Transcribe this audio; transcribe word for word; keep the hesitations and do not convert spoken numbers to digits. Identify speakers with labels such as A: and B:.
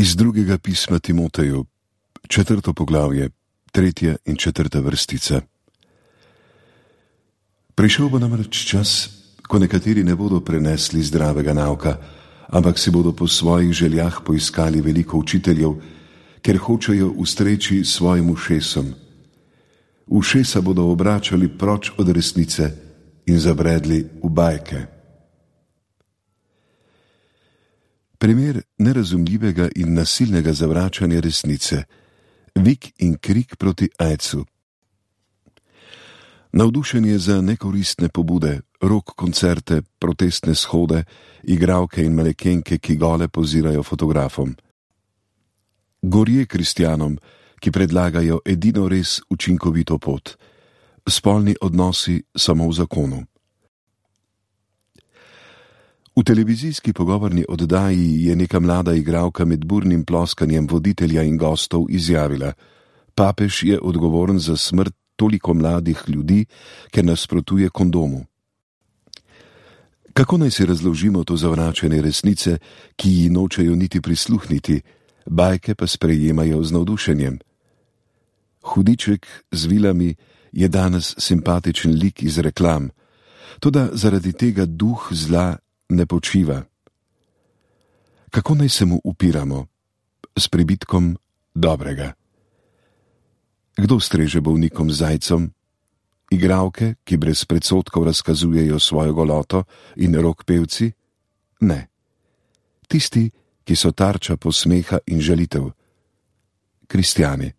A: Iz drugega pisma Timoteju, četrto poglavje, tretja in četrta vrstica. Prišel bo namreč čas, ko nekateri ne bodo prenesli zdravega nauka, ampak si bodo po svojih željah poiskali veliko učiteljev, ker hočejo ustreči svojim ušesom. Ušesa bodo obračali proč od resnice in zabredli v bajke. Primer nerazumljivega in nasilnega zavračanja resnice, vik in krik proti aidsu. Navdušenje za nekoristne pobude, rock koncerte, protestne shode, igralke in manekenke, ki gole pozirajo fotografom. Gorje kristjanom, ki predlagajo edino res učinkovito pot, spolni odnosi samo v zakonu. V televizijski pogovorni oddaji je neka mlada igralka med burnim ploskanjem voditelja in gostov izjavila: papež je odgovoren za smrt toliko mladih ljudi, ker nasprotuje kondomu. Kako naj si razložimo to zavračanje resnice, ki ji nočejo niti prisluhniti, bajke pa sprejemajo z navdušenjem? Hudiček z vilami je danes simpatičen lik iz reklam, toda zaradi tega duh zla ne počiva. Kako naj se mu upiramo? S pribitkom dobrega. Kdo streže bolnikom z zajcem? Igralke, ki brez predsodkov razkazujejo svojo goloto, in rock pevci? Ne. Tisti, ki so tarča posmeha in žalitev. Kristjani.